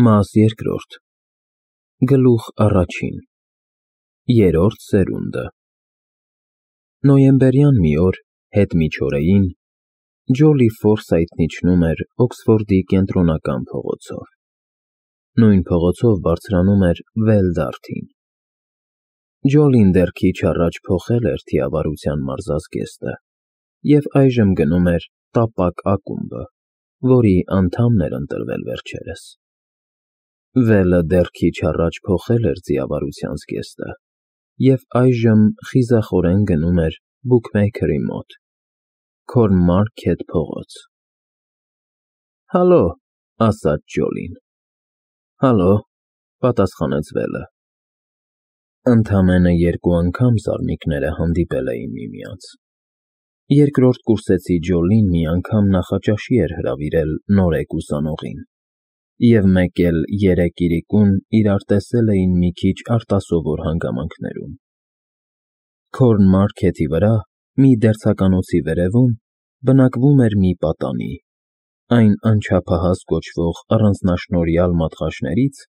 Մաս երկրորդ Գլուխ առաջին Երրորդ սերունդը Նոյեմբերյան մի օր, հետ միջօրեին, Ջոլի Ֆորսայթն իջնում էր Օքսֆորդի կենտրոնական փողոցով։ Նույն փողոցով բարձրանում էր Վելդարթին։ Ջոլին դեռ քիչ առաջ փոխել էր թիավարության մարզազգեստը և այժմ գնում էր տապակ ակումբը, որի անդամն էր ընտրվել վերջերս։ Վելը դեռ քիչ առաջ փոխել էր ձիավարության զգեստը և այժմ խիզախորեն գնում էր բուքմեյքերի մոտ, Քորնմարքեթ փողոց։ «Հալո», ասաց Ջոլին։ «Հալո», պատասխանեց Վելը։ Ընդամենը երկու անգամ զարմիկները հանդիպել էին միմյանց։ Երկրորդ կուրսեցի Ջոլին մի անգամ նախաճաշի էր հրավիրել նորեկ ուսանողին, և մեկ էլ երեկ իրիկուն իրար տեսել էին մի քիչ արտասովոր հանգամանքներում։ Քորնմարքեթի վրա, մի դերձականոցի վերևում, բնակվում էր մի պատանի, այն անչափահաս կոչվող առանձնաշնորհյալ մատղաշներից,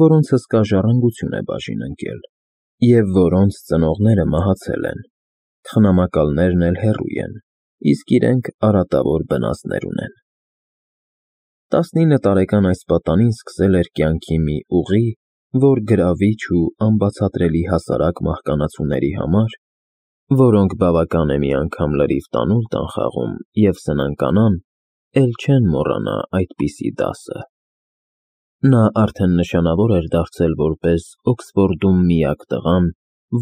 որոնց հսկա ժառանգություն է բաժին ընկել, և որոնց ծնողները մահացել են, թխնամակալներն էլ հեռու են, իսկ իրենք արատավոր բնազդներ ունեն։ 19 տարեկան այս պատանին սկսել էր կյանքի մի ուղի, որ գրավիչ ու անբացատրելի հասարակ մահկանացուների համար, որոնք բավական է մի անգամ լրիվ տանուլ տան խաղում և սնանկանան, էլ չեն մոռանա այդպիսի դասը։ Նա արդեն նշանավոր էր դարձել որպես Օքսֆորդում միակ տղան,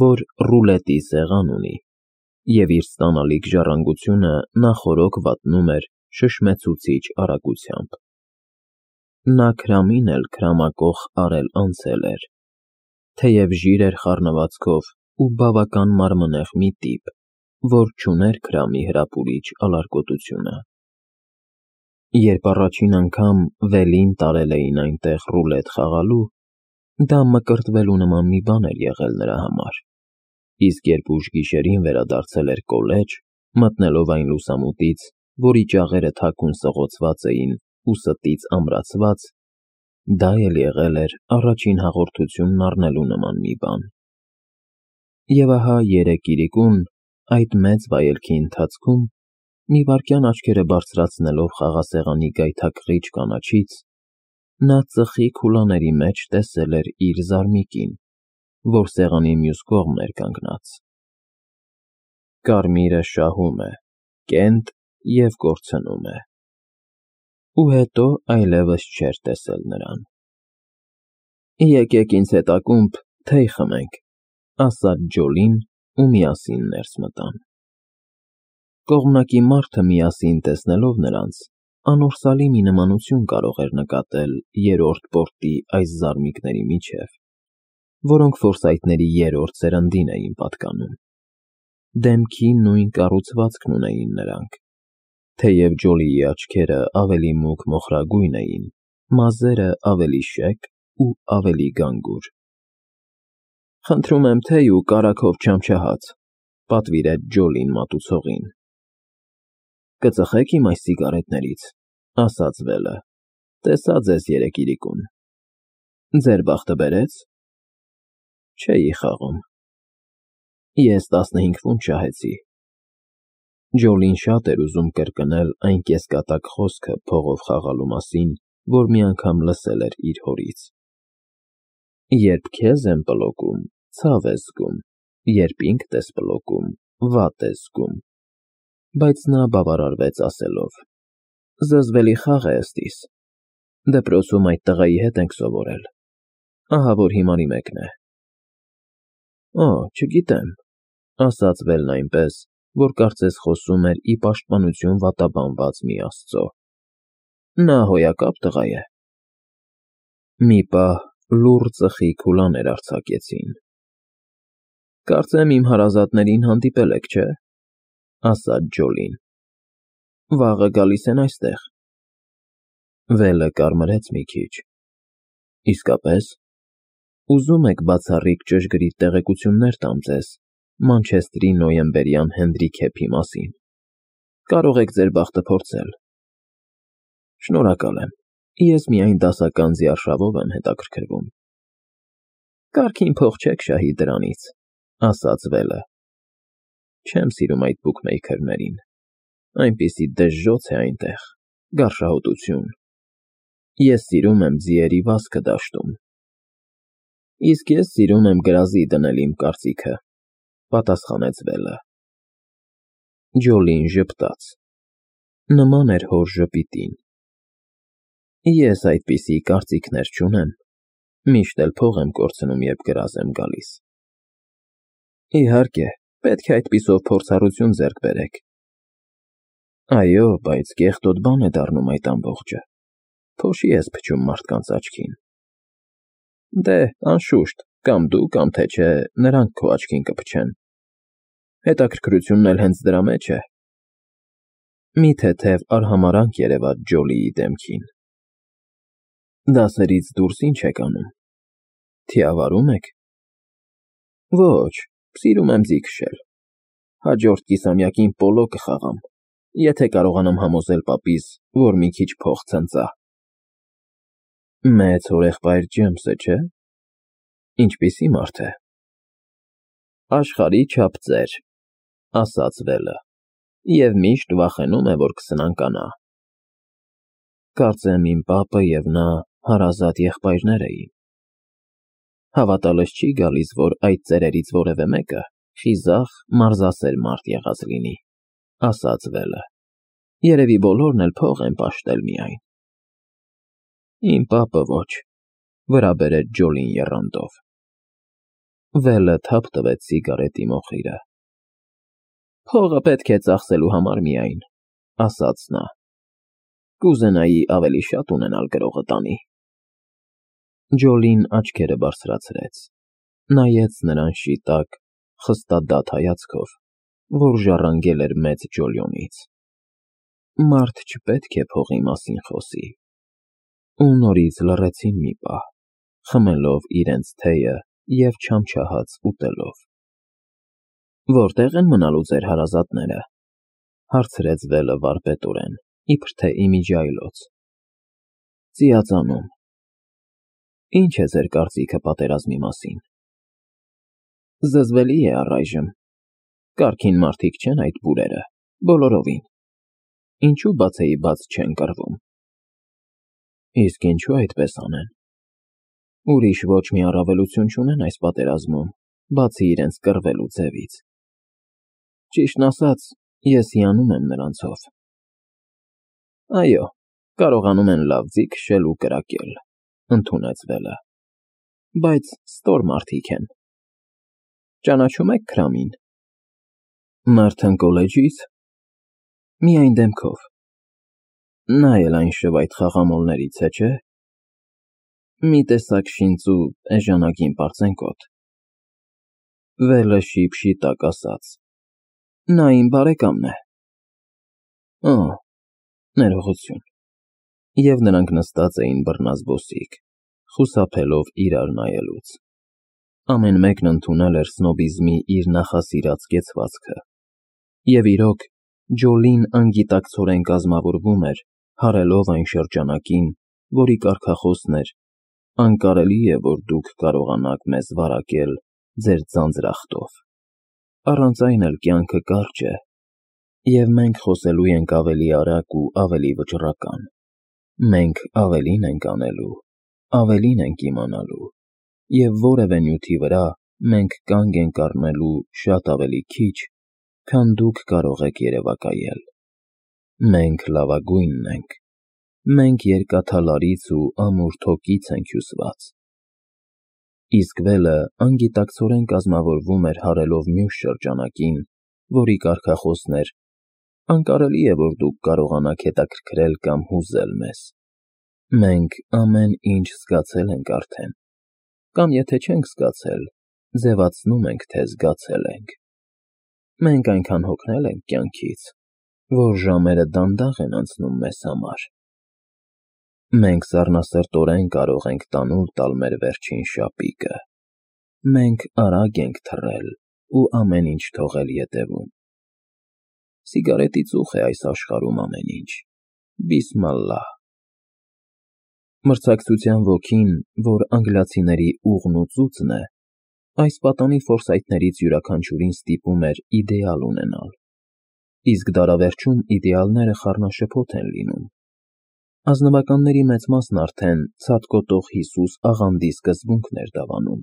որ ռուլետի սեղան ունի, և իր ստանալիք ժառանգությունը նախօրոք վատնում էր շշմեցուցիչ արագությամբ։ Նա քրամին էլ քրամակոխ արել անցել էր, թեև ժիր էր խառնվածքով ու բավական մարմնեղ մի տիպ, որ չուներ քրամի հրապուրիչ ալարկոտությունը։ Երբ առաջին անգամ Վելին տարել էին այնտեղ ռուլետ խաղալու, դա մկրտվելու նման մի բան էր եղել նրա համար, իսկ երբ ուշ գիշերին վերադարձել էր կոլեջ, մտնելով այն լուսամուտից, որի ճաղերը թաքուն սղոցված էին ու ստից ամրացված, դա էլ եղել էր առաջին հաղորդությունն առնելու նման մի բան։ Եվ ահա երեկ իրիկուն, այդ մեծ վայելքի ընթացքում, մի վայրկյան աչքերը բարձրացնելով խաղասեղանի գայթակղիչ կանաչից, նա ծխի քուլաների մեջ տեսել էր իր զարմիկին, որ սեղանի մյուս կողմն էր կանգնած։ Կարմիրը շահում է, կենտ և կորցնում է։ Ու հետո այլևս չէր տեսել նրան։ «Եկեք ինձ հետ ակումբ, թեյ խմենք», ասաց Ջոլին ու միասին ներս մտան։ Կողմնակի մարդը միասին տեսնելով նրանց, անորսալի մի նմանություն կարող էր նկատել երրորդ պորտի այս զարմիկների միջև, որոնք Ֆորսայթների երրորդ սերնդին էին պատկանում։ Դեմքի նույն կառուցվածքն ունեին նրանք, թեև Ջոլիի աչքերը ավելի մուգ մոխրագույն էին, մազերը ավելի շեկ ու ավելի գանգուր։ «Խնդրում եմ թեյ ու կարագով չամչահաց», պատվիրեց Ջոլին մատուցողին։ «Կծխեք իմ այս սիգարետներից», ասաց Վելը, «տեսա ձեզ երեկ իրիկուն։ Ձեր բախտը բերե՞ց»։ «Չէի խաղում»։ «Ես 15 ֆունտ շահեցի»։ Ջոլին շատ էր ուզում կրկնել այն կեսկատակ խոսքը փողով խաղալու մասին, որ մի անգամ լսել էր իր հորից. «Երբ քեզ են պլոկում, ցավ ես զգում, երբ ինքդ ես պլոկում, վատ ես զգում», բայց նա բավարարվեց ասելով. «Զզվելի խաղ է ըստիս։ Դպրոցում այդ տղայի հետ ենք սովորել, ահա որ հիմարի մեկն է»։ «Օ, չգիտեմ», ասաց Վելն այնպես, որ կարծես խոսում էր ի պաշտպանություն վատաբանված մի աստծո։ «Նա հոյակապ տղա է»։ Մի պահ լուռ ծխի քուլաներ արձակեցին։ «Կարծեմ իմ հարազատներին հանդիպել եք, չէ՞, ասաց Ջոլին։ Վաղը գալիս են այստեղ»։ Վելը կարմրեց մի քիչ։ «Իսկապե՞ս։ Ուզում եք բացառիկ ճշգրիտ տեղեկություններ տամ ձեզ Մանչեստրի նոյեմբերյան հենդիքեփի մասին։ Կարող եք ձեր բախտը փորձել»։ «Շնորհակալ եմ», Ես միայն դասական զիարշավով եմ հետաքրքրվում։ Կարգին փող չեք շահի դրանից, ասաց Վելը։ Չեմ սիրում այդ բուքմեյքերներին, այնպիսի դժժոց է այնտեղ, գարշահոտություն։ Ես սիրում եմ ձիերի վազքը դաշտում։ Իսկ ես սիրում եմ գրազի դնել իմ կարծիքը, պատասխանեց Վելը։ Ջոլին ժպտաց։ Նման էր հոր ժպիտին։ Ես այդպիսի կարծիքներ չունեմ, միշտ էլ փող եմ կորցնում, երբ գրազ եմ գալիս։ Իհարկե, պետք է այդպիսով փորձառություն ձեռք բերեք։ Այո, բայց կեղտոտ բան է դառնում այդ ամբողջը։ Փոշի ես փչում մարդկանց աչքին։ Դե, անշուշտ, կամ դու, կամ թե չէ, նրանք քո աչքին կփչեն։ Հետաքրքրությունն էլ հենց դրա մեջ է։ Մի թեթև արհամարհանք երևաց Ջոլիի դեմքին։ Դասերից դուրս ինչ եք անում։ Թիավարում եք։ Ոչ, սիրում եմ ձի քշել։ Հաջորդ կիսամյակին պոլո կխաղամ, եթե կարողանամ համոզել պապիս, որ մի քիչ փող ցնծա։ Մեծ հորեղբայր Ջեյմսը, չէ՞։ Ինչպիսի մարդ է։ Աշխարհի չափ ծեր, ասաց Վելը, և միշտ վախենում է, որ կսնանկանա։ Կարծեմ իմ պապը և նա հարազատ եղբայրներ էին։ Հավատալս չի գալիս, որ այդ ծերերից որևէ մեկը խիզախ, մարզասեր մարդ եղած լինի, ասաց Վելը։ Երևի բոլորն էլ փող են պաշտել միայն։ Իմ պապը ոչ, վրա բերեց Ջոլին եռանդով։ Վելը թափ տվեց սիգարետի մոխիրը։ Փողը պետք է ծախսելու համար միայն, ասաց նա։ Կուզենայի ավելի շատ ունենալ գրողը տանի։ Ջոլին աչքերը բարձրացրեց, նայեց նրան շիտակ, խստադատ հայացքով, որ ժառանգել էր մեծ ջոլյոնից։ Մարդ չպետք է փողի մասին խոսի։ Ու նորից լռեցին մի պահ, խմելով իրենց թեյը և չամչահաց ուտելով։ Որտե՞ղ են մնալու ձեր հարազատները, հարցրեց Վելը վարպետորեն, իբր թե ի միջի այլոց։ Ծիածանում։ Ինչ է ձեր կարծիքը պատերազմի մասին։ Զզվելի է առայժմ։ Կարգին մարդիկ չեն այդ բուրերը, բոլորովին։ Ինչու բացեի բաց չեն կռվում։ Իսկ ինչու այդպես անեն։ Ուրիշ ոչ մի առավելություն չունեն այս պատերազմում, բացի իրենց կռվելու ձևից։ Ճիշտն ասած, ես հիանում եմ նրանցով։ Այո, կարողանում են լավ ձի քշել ու կրակել, ընդունեց Վելը։ Բայց ստոր մարդիկ են։ Ճանաչում եք Քրամին։ Մարտին կոլեջից։ Միայն դեմքով։ Նա էլ այն շվայտ խաղամոլներից է, չէ՞։ Մի տեսակ շինծու էժանագին պարծենկոտ։ Վելը շիպ-շիտակ ասաց։ Նա իմ բարեկամն է։ Օ, ներողություն։ Եվ նրանք նստած էին բռնազբոսիկ, խուսափելով իրար նայելուց։ Ամեն մեկն ընդունել էր սնոբիզմի իր նախասիրած կեցվածքը։ Եվ իրոք, Ջոլին անգիտակցորեն կազմավորվում էր, հարելով այն շրջանակին, որի կարգախոսն էր. անկարելի է, որ դուք կարողանաք մեզ վարակել ձեր ձանձրախտով։ Առանց այն էլ կյանքը կարճ է, և մենք խոսելու ենք ավելի արագ ու ավելի վճռական։ Մենք ավելին ենք անելու, ավելին ենք իմանալու, և որևէ նյութի վրա մենք կանգ ենք առնելու շատ ավելի քիչ, քան դուք կարող եք երևակայել։ Մենք լավագույնն ենք։ Մենք երկաթալարից ու ամուր թոկից ենք հյուսված։ Իսկ Վելը անգիտակցորեն կազմավորվում էր հարելով մյուս շրջանակին, որի կարգախոսն էր. անկարելի է, որ դուք կարողանաք հետաքրքրել կամ հուզել մեզ։ Մենք ամեն ինչ զգացել ենք արդեն, կամ եթե չենք զգացել, ձևացնում ենք, թե զգացել ենք։ Մենք այնքան հոգնել ենք կյանքից, որ ժամերը դանդաղ են անցնում մեզ համար։ Մենք սառնասրտորեն կարող ենք տանուլ տալ մեր վերջին շապիկը։ Մենք արագ ենք թռել ու ամեն ինչ թողել ետևում։ Սիգարետի ծուխ է այս աշխարհում ամեն ինչ, բիսմալլահ։ Մրցակցության ոգին, որ անգլիացիների ուղն ու ծուծն է, այս պատանի ֆորսայթներից յուրաքանչյուրին ստիպում էր իդեալ ունենալ, իսկ դարավերջում իդեալները խառնաշփոթ են լինում։ Ազնվականների մեծ մասն արդեն ցատկոտող Հիսուս աղանդի սկզբունքն էր դավանում,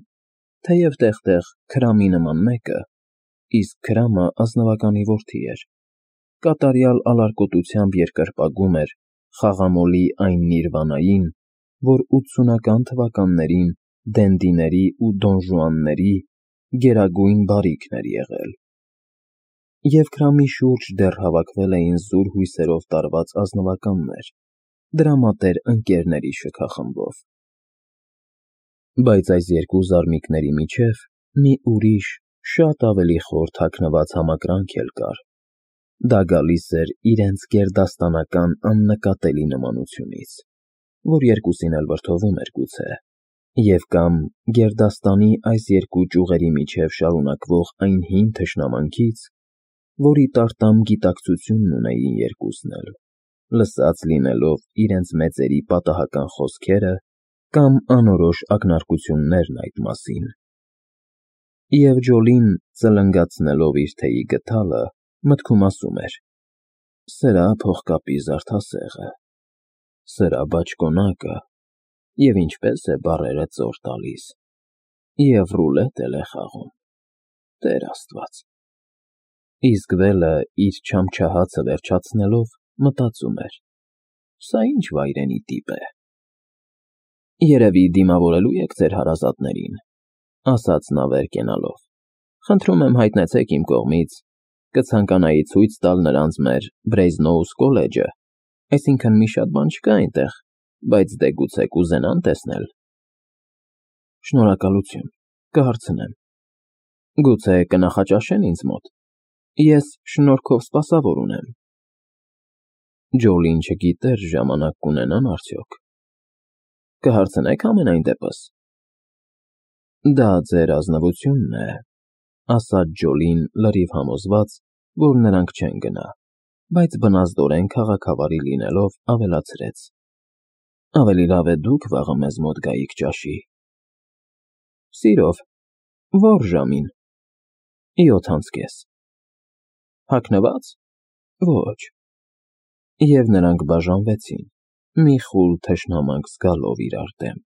թեև տեղ-տեղ Քրամի նման մեկը, իսկ Քրամը ազնվականի որդի էր, կատարյալ ալարկոտությամբ երկրպագում էր խաղամոլի այն Նիրվանային, որ 80-ական թվականներին դենդիների ու դոնժուանների գերագույն բարիքն էր եղել։ Եվ Քրամի շուրջ դեռ հավաքվել էին զուր հույսերով տարված ազնվականներ, դրամատեր ընկերների շքախմբով։ Բայց այս երկու զարմիկների միջև մի ուրիշ, շատ ավելի խոր թաքնված համակրանք էլ կար։ Դա գալիս էր իրենց գերդաստանական աննկատելի նմանությունից, որ երկուսին էլ վրդովում էր գուցե, և կամ գերդաստանի այս երկու ճյուղերի միջև շարունակվող այն հին թշնամանքից, որի տարտամ գիտակցությունն ունեին երկուսն էլ, լսած լինելով իրենց մեծերի պատահական խոսքերը կամ անորոշ ակնարկություններն այդ մասին։ Եվ Ջոլին, ծլնգացնելով իր թեյի գդալը, մտքում ասում էր. «Սրա փողկապի զարդասեղը, սրա բաճկոնակը, և ինչպես է բառերը ծոր տալիս, և ռուլետ էլ է խաղում, Տեր Աստված»։ Իսկ վելը իր չամչահացը վերջացնելով մտածում էր. «Սա ինչ վայրենի տիպ է»։ «Երևի դիմավորելու եք ձեր հարազատներին», ասաց նա վեր կենալով։ «Խնդրում եմ հայտնեցեք իմ կողմից, կցանկանայի ցույց տալ նրանց մեր Բրեյզնոուս քոլեջը, այսինքն մի շատ բան չկա այնտեղ, բայց դե գուցե կուզենան տեսնել»։ «Շնորհակալություն, կհարցնեմ»։ «Գուցե կնախաճաշեն ինձ մոտ, ես շնորհքով սպասավոր ունեմ»։ Ջոլին չգիտեր ժամանակ կունենան արդյոք։ «Կհարցնեք համենայն դեպս»։ «Դա ձեր ազնվությունն է», ասաց Ջոլին լրիվ համոզված, որ նրանք չեն գնա, բայց բնազդորեն քաղաքավարի լինելով ավելացրեց. «Ավելի լավ է դուք վաղը մեզ մոտ գայիք ճաշի»։ «Սիրով, ո՞ր ժամին»։ 7:30։ «Հագնվա՞ծ»։ «Ոչ»։ Եվ նրանք բաժանվեցին, մի խուլ թշնամանք զգալով իրար դեմ։